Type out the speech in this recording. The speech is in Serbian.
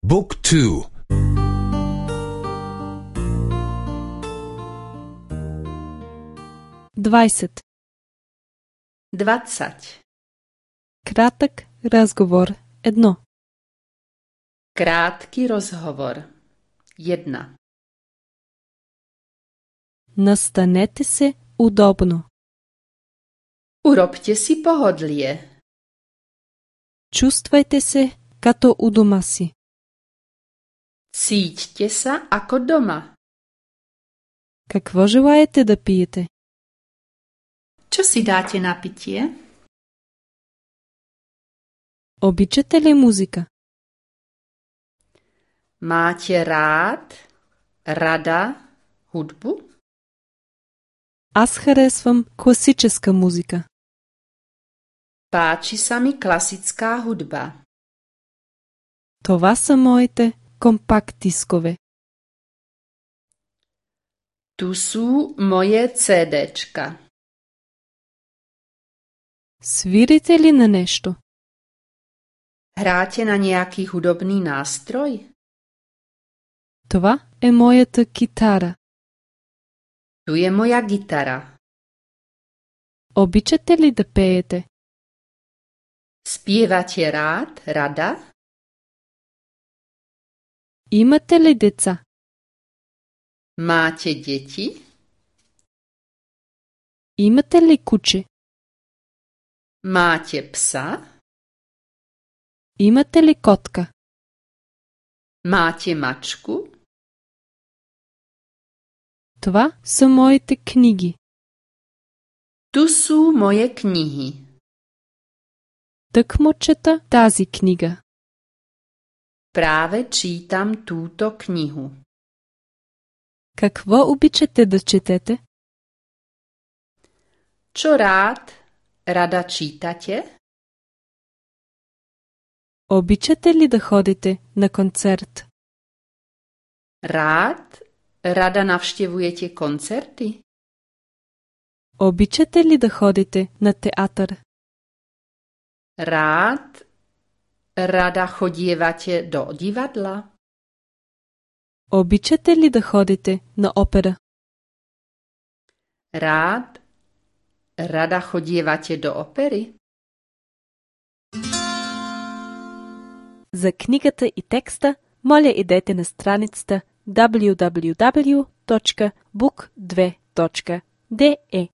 Book 2. 20. 20. Кратък разговор 1. Krátký rozhovor 1. Настанете се удобно. Urobte si pohodlie. Чувствайте се като у дома си. Cíťte sa ako doma. Какво желаете да пиете? Čo si dáte na pitie? Обичате ли музика? Máte rada hudbu? Аз харесвам класическа музика. Páči sa mi klasická hudba. Това са моите компакт дискове. Tu sú moje CDčka. Свирите ли на нещо? Hráte na nejaký hudobný nástroj? Това е моята китара. Tu je moja gitara. Обичате ли да пеете? Spievate rada? Имате ли деца? Máte deti? Имате ли куче? Máte psa? Имате ли котка? Máte mačku? Това са моите книги. Tu sú moje knihy. Тъкмо чета тази книга. Práve čítam túto knihu. Какво обичате да четете? Čo rada čítate? Обичате ли да ходите на концерт? Rada navštevujete koncerty? Обичате ли да ходите на театър? Rada chodievate do divadla? Обичате ли да ходите на опера? Rada chodievate do opery? За книгата и текста, моля идете на страницата www.book2.de.